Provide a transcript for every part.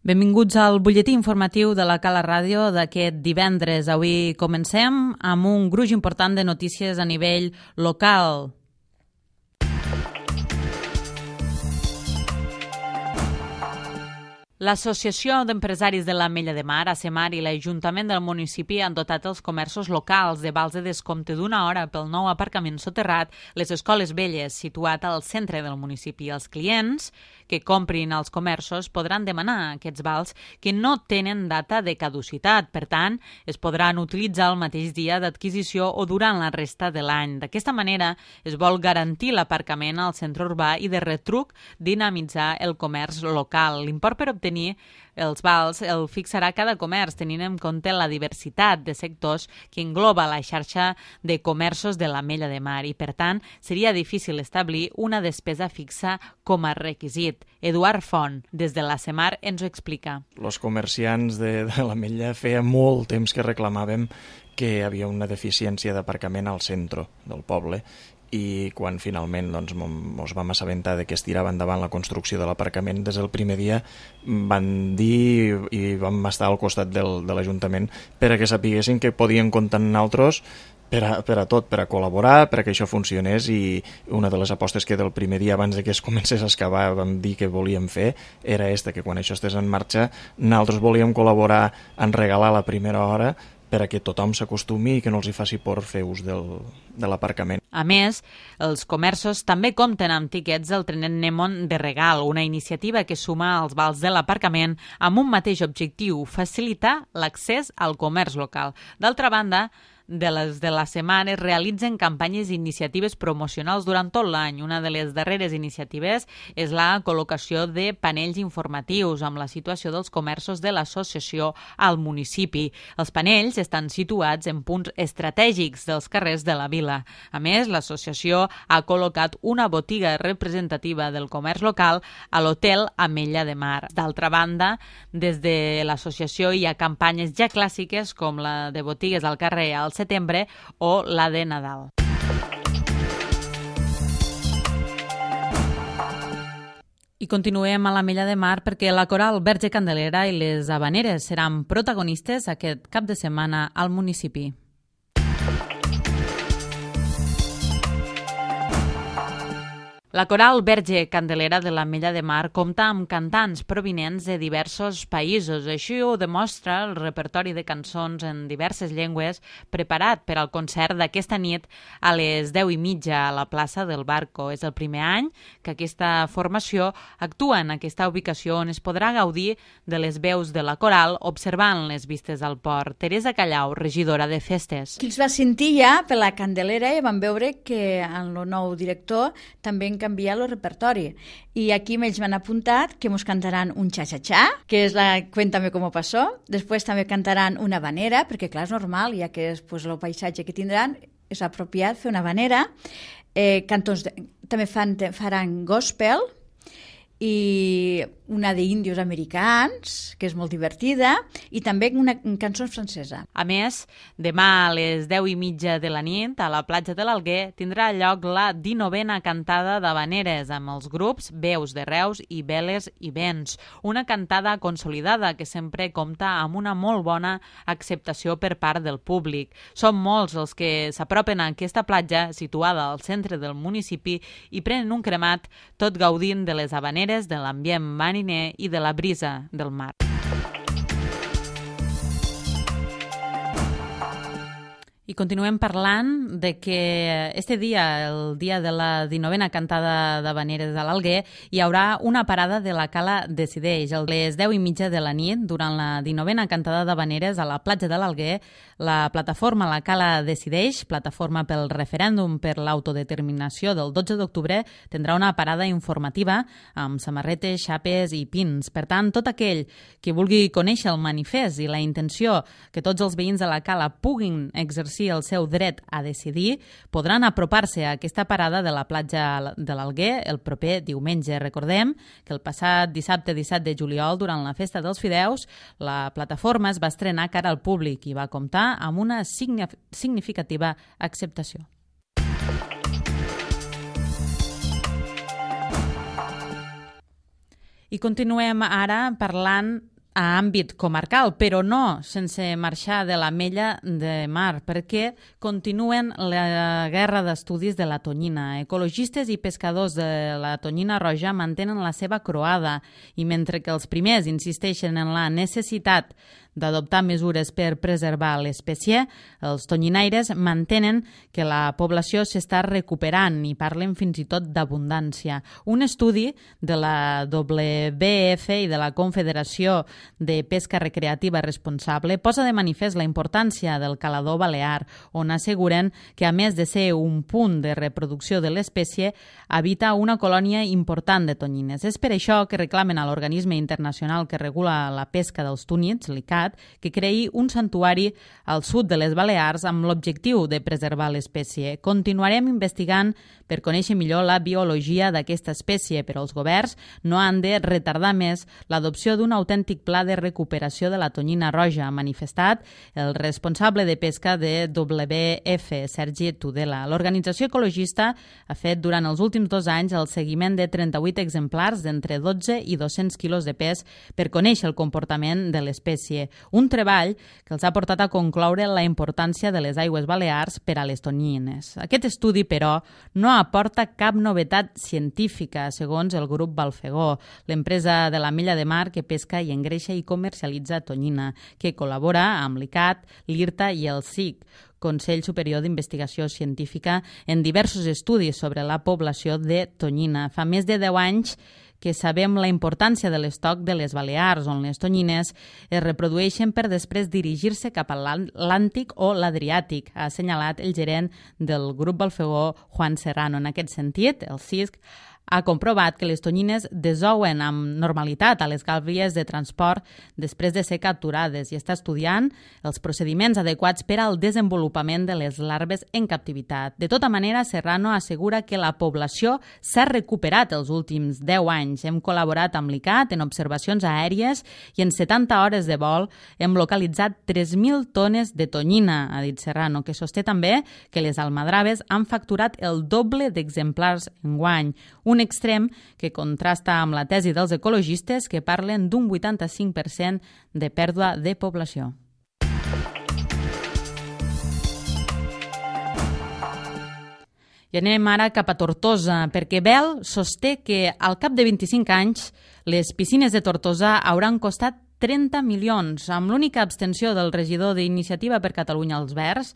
Benvinguts al butlletí informatiu de la Cala Ràdio d'aquest divendres. Avui comencem amb un gruix important de notícies a nivell local. L'Associació d'Empresaris de l'Ametlla de Mar, ACEMAR, i l'Ajuntament del municipi han dotat els comerços locals de vals de descompte d'una hora pel nou aparcament soterrat Les Escoles Velles, situat al centre del municipi. Els clients que comprin als comerços podran demanar aquests vals que no tenen data de caducitat. Per tant, es podran utilitzar el mateix dia d'adquisició o durant la resta de l'any. D'aquesta manera, es vol garantir l'aparcament al centre urbà i de retruc dinamitzar el comerç local. L'import per obtenir els vals el fixarà cada comerç, tenint en compte la diversitat de sectors que engloba la xarxa de comerços de l'Ametlla de Mar i, per tant, seria difícil establir una despesa fixa com a requisit. Eduard Font, des de l'ACEMAR, ens ho explica. Els comerciants de l'Ametlla feia molt temps que reclamàvem que hi havia una deficiència d'aparcament al centre del poble i quan finalment ens vam assabentar de que es tirava endavant la construcció de l'aparcament, des del primer dia van dir i vam estar al costat de l'Ajuntament perquè sapiguessin que podien comptar amb nosaltres per a tot, per a col·laborar, per a que això funcionés, i una de les apostes que del primer dia abans de que es comencés a excavar vam dir que volíem fer era que quan això estés en marxa nosaltres volíem col·laborar en regalar la primera hora per a que tothom s'acostumi i que no els hi faci por fer ús de l'aparcament. A més, els comerços també compten amb tiquets del trenet Nemon de regal, una iniciativa que suma els vals de l'aparcament amb un mateix objectiu, facilitar l'accés al comerç local. D'altra banda, de les de la setmana es realitzen campanyes i iniciatives promocionals durant tot l'any. Una de les darreres iniciatives és la col·locació de panells informatius amb la situació dels comerços de l'associació al municipi. Els panells estan situats en punts estratègics dels carrers de la vila. A més, l'associació ha col·locat una botiga representativa del comerç local a l'Hotel Ametlla de Mar. D'altra banda, des de l'associació hi ha campanyes ja clàssiques com la de botigues al carrer al setembre o la de Nadal. I continuem a l'Ametlla de Mar perquè la Coral Verge Candelera i les Havaneres seran protagonistes aquest cap de setmana al municipi. La Coral Verge Candelera de l'Ametlla de Mar compta amb cantants provinents de diversos països. Així ho demostra el repertori de cançons en diverses llengües preparat per al concert d'aquesta nit a les 10:30 a la plaça del Barco. És el primer any que aquesta formació actua en aquesta ubicació on es podrà gaudir de les veus de la coral observant les vistes al port. Teresa Callau, regidora de festes. Qui els va sentir ja per la Candelera i van veure que en el nou director també en canviar el repertori. I aquí ells m'han apuntat que ens cantaran un xa-xa-xa, que és la Cuéntame cómo pasó. Després també cantaran una habanera, perquè clar, és normal, ja que és el paisatge que tindran, és apropiat fer una habanera. Cantons també faran gospel i una d'índios americans, que és molt divertida, i també una cançó francesa. A més, demà a les 10:30 de la nit, a la platja de l'Alguer, tindrà lloc la 19a cantada d'havaneres amb els grups Veus de Reus i Veles i Vents. Una cantada consolidada que sempre compta amb una molt bona acceptació per part del públic. Són molts els que s'apropen a aquesta platja situada al centre del municipi i prenen un cremat, tot gaudint de les havaneres, de l'ambient mariner i de la brisa del mar. I continuem parlant de que este dia, el dia de la 19a cantada d'havaneres a l'Alguer, hi haurà una parada de la Cala Decideix. A les 10:30 de la nit, durant la 19a cantada d'havaneres a la platja de l'Alguer, la plataforma La Cala Decideix, plataforma pel referèndum per l'autodeterminació del 12 d'octubre, tindrà una parada informativa amb samarretes, xapes i pins. Per tant, tot aquell que vulgui conèixer el manifest i la intenció que tots els veïns de la Cala puguin exercir el seu dret a decidir, podran apropar-se a aquesta parada de la platja de l'Alguer el proper diumenge. Recordem que el passat dissabte 17 de juliol, durant la Festa dels Fideus, la plataforma es va estrenar cara al públic i va comptar amb una significativa acceptació. I continuem ara parlant a àmbit comarcal, però no sense marxar de l'Ametlla de Mar, perquè continuen la guerra d'estudis de la tonyina. Ecologistes i pescadors de la tonyina roja mantenen la seva croada i mentre que els primers insisteixen en la necessitat d'adoptar mesures per preservar l'espècie, els tonyinaires mantenen que la població s'està recuperant i parlen fins i tot d'abundància. Un estudi de la WWF i de la Confederació de Pesca Recreativa Responsable posa de manifest la importància del calador balear, on asseguren que, a més de ser un punt de reproducció de l'espècie, habita una colònia important de tonyines. És per això que reclamen a l'organisme internacional que regula la pesca dels túnids, l'ICAT, que creï un santuari al sud de les Balears amb l'objectiu de preservar l'espècie. Continuarem investigant per conèixer millor la biologia d'aquesta espècie, però els governs no han de retardar més l'adopció d'un autèntic pla de recuperació de la tonyina roja, ha manifestat el responsable de pesca de WWF, Sergi Tudela. L'organització ecologista ha fet durant els últims 2 anys el seguiment de 38 exemplars d'entre 12 i 200 quilos de pes per conèixer el comportament de l'espècie. Un treball que els ha portat a concloure la importància de les aigües balears per a les tonyines. Aquest estudi, però, no aporta cap novetat científica, segons el grup Balfegó, l'empresa de l'Ametlla de Mar que pesca i engreixa i comercialitza tonyina, que col·labora amb l'ICAT, l'IRTA i el SIC, Consell Superior d'Investigació Científica, en diversos estudis sobre la població de tonyina. Fa més de 10 anys que sabem la importància de l'estoc de les Balears, on les tonyines es reprodueixen per després dirigir-se cap a l'Atlàntic o l'Adriàtic, ha assenyalat el gerent del grup Balfegó, Juan Serrano. En aquest sentit, el CISC ha comprovat que les tonyines desouen amb normalitat a les gàbies de transport després de ser capturades i està estudiant els procediments adequats per al desenvolupament de les larves en captivitat. De tota manera, Serrano assegura que la població s'ha recuperat els últims 10 anys. Hem col·laborat amb l'ICAT en observacions aèries i en 70 hores de vol hem localitzat 3.000 tones de tonyina, ha dit Serrano, que sosté també que les almadraves han facturat el doble d'exemplars enguany, un extrem que contrasta amb la tesi dels ecologistes que parlen d'un 85% de pèrdua de població. I anem ara cap a Tortosa, perquè Bel sosté que al cap de 25 anys les piscines de Tortosa hauran costat 30 milions, amb l'única abstenció del regidor d'Iniciativa per Catalunya als Verds,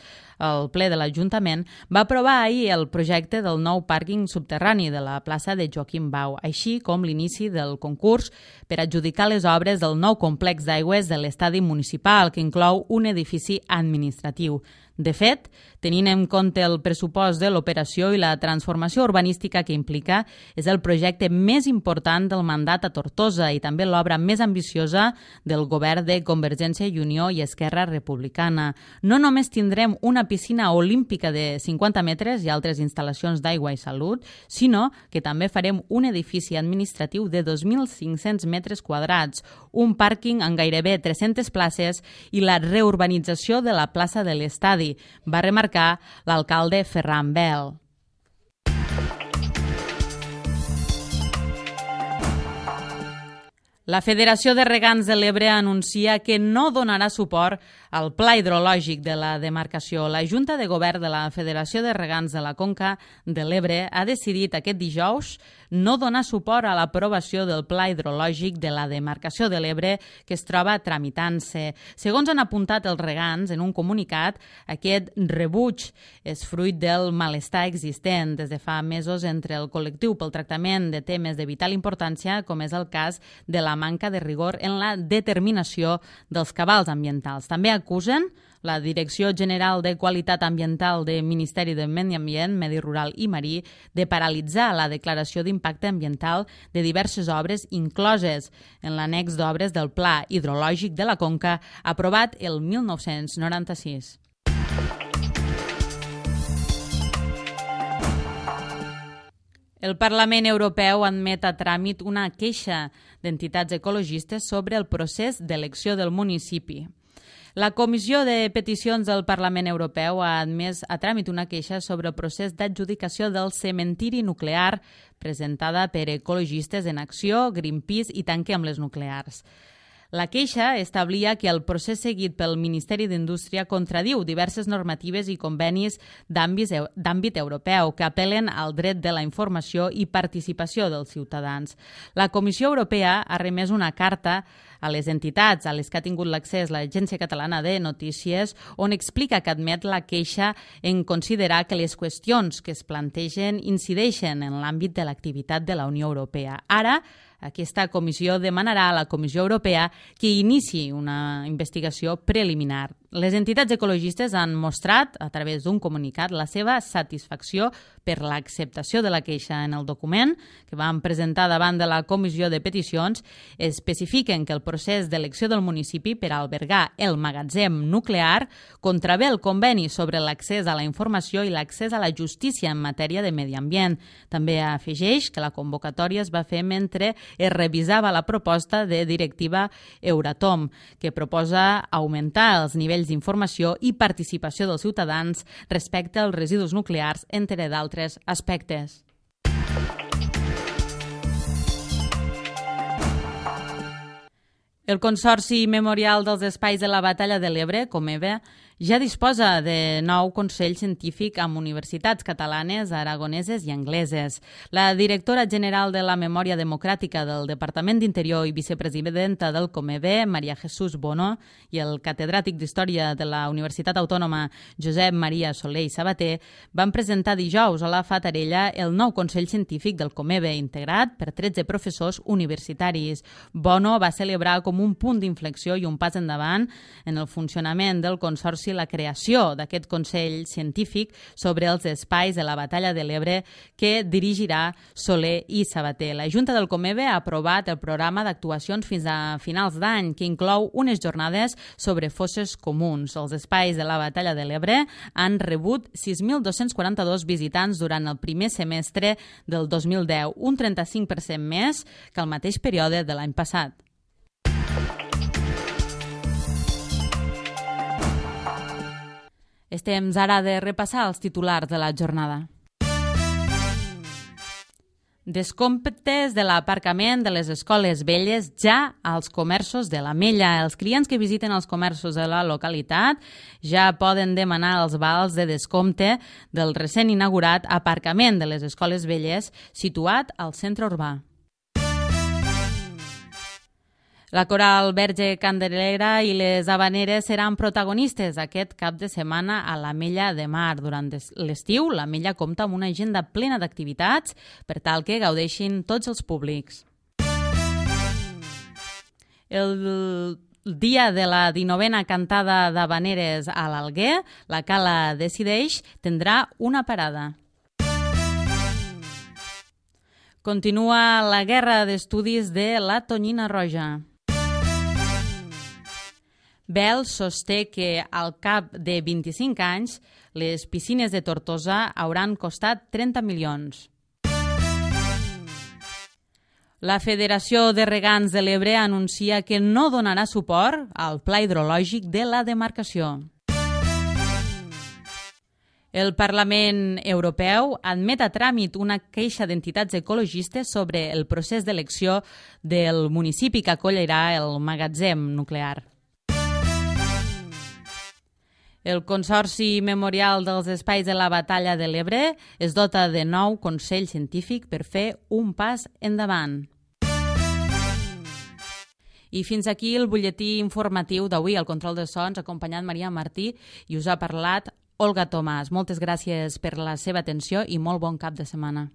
el ple de l'Ajuntament, va aprovar ahir el projecte del nou pàrquing subterrani de la plaça de Joaquim Bau, així com l'inici del concurs per adjudicar les obres del nou complex d'aigües de l'estadi municipal, que inclou un edifici administratiu. De fet, tenint en compte el pressupost de l'operació i la transformació urbanística que implica, és el projecte més important del mandat a Tortosa i també l'obra més ambiciosa del govern de Convergència i Unió i Esquerra Republicana. No només tindrem una piscina olímpica de 50 metres i altres instal·lacions d'aigua i salut, sinó que també farem un edifici administratiu de 2.500 metres quadrats, un pàrquing amb gairebé 300 places i la reurbanització de la plaça de l'estadi, va remarcar l'alcalde Ferran Bel. La Federació de Regants de l'Ebre anuncia que no donarà suport al pla hidrològic de la demarcació. La Junta de Govern de la Federació de Regants de la Conca de l'Ebre ha decidit aquest dijous no donar suport a l'aprovació del pla hidrològic de la demarcació de l'Ebre que es troba tramitant-se. Segons han apuntat els regants en un comunicat, aquest rebuig és fruit del malestar existent des de fa mesos entre el col·lectiu pel tractament de temes de vital importància, com és el cas de la manca de rigor en la determinació dels cabals ambientals. També acusen la Direcció General de Qualitat Ambiental del Ministeri de Medi Ambient, Medi Rural i Marí de paralitzar la declaració d'impacte ambiental de diverses obres incloses en l'annex d'obres del Pla Hidrològic de la Conca aprovat el 1996. El Parlament Europeu admet a tràmit una queixa d'entitats ecologistes sobre el procés d'elecció del municipi. La Comissió de Peticions del Parlament Europeu ha admès a tràmit una queixa sobre el procés d'adjudicació del cementiri nuclear presentada per ecologistes en acció, Greenpeace i Tanquem les Nuclears. La queixa establia que el procés seguit pel Ministeri d'Indústria contradiu diverses normatives i convenis d'àmbit europeu que apel·len al dret de la informació i participació dels ciutadans. La Comissió Europea ha remès una carta a les entitats a les que ha tingut l'accés l'Agència Catalana de Notícies, on explica que admet la queixa en considerar que les qüestions que es plantegen incideixen en l'àmbit de l'activitat de la Unió Europea. Ara, aquesta comissió demanarà a la Comissió Europea que iniciï una investigació preliminar. Les entitats ecologistes han mostrat, a través d'un comunicat, la seva satisfacció per l'acceptació de la queixa. En el document que van presentar davant de la Comissió de Peticions especifiquen que el procés d'elecció del municipi per albergar el magatzem nuclear contravé el conveni sobre l'accés a la informació i l'accés a la justícia en matèria de medi ambient. També afegeix que la convocatòria es va fer mentre es revisava la proposta de directiva Euratom, que proposa augmentar els nivells d'informació i participació dels ciutadans respecte als residus nuclears, entre d'altres aspectes. El Consorci Memorial dels Espais de la Batalla de l'Ebre, Comeve, ja disposa de nou consell científic amb universitats catalanes, aragoneses i angleses. La directora general de la Memòria Democràtica del Departament d'Interior i vicepresidenta del Comeve, Maria Jesús Bono, i el catedràtic d'Història de la Universitat Autònoma, Josep Maria Soler i Sabater, van presentar dijous a la Fatarella el nou consell científic del Comeve, integrat per 13 professors universitaris. Bono va celebrar com un punt d'inflexió i un pas endavant en el funcionament del Consorci la creació d'aquest Consell Científic sobre els espais de la Batalla de l'Ebre que dirigirà Soler i Sabater. La Junta del Comeve ha aprovat el programa d'actuacions fins a finals d'any, que inclou unes jornades sobre fosses comuns. Els espais de la Batalla de l'Ebre han rebut 6.242 visitants durant el primer semestre del 2010, un 35% més que el mateix període de l'any passat. És temps ara de repassar els titulars de la jornada. Descomptes de l'aparcament de les escoles velles ja als comerços de l'Ametlla. Els clients que visiten els comerços de la localitat ja poden demanar els vals de descompte del recent inaugurat aparcament de les escoles velles situat al centre urbà. La Coral Verge Candelera i les Havaneres seran protagonistes aquest cap de setmana a l'Ametlla de Mar. Durant l'estiu, l'Ametlla compta amb una agenda plena d'activitats per tal que gaudeixin tots els públics. El dia de la 19a cantada d'Havaneres a l'Alguer, la Cala Decideix tindrà una parada. Continua la guerra d'estudis de la Tonyina Roja. Bel sosté que al cap de 25 anys les piscines de Tortosa hauran costat 30 milions. La Federació de Regants de l'Ebre anuncia que no donarà suport al pla hidrològic de la demarcació. El Parlament Europeu admet a tràmit una queixa d'entitats ecologistes sobre el procés d'elecció del municipi que acollirà el magatzem nuclear. El Consorci Memorial dels Espais de la Batalla de l'Ebre es dota de nou consell científic per fer un pas endavant. I fins aquí el butlletí informatiu d'avui, al control de sons, acompanyant Maria Martí, i us ha parlat Olga Tomàs. Moltes gràcies per la seva atenció i molt bon cap de setmana.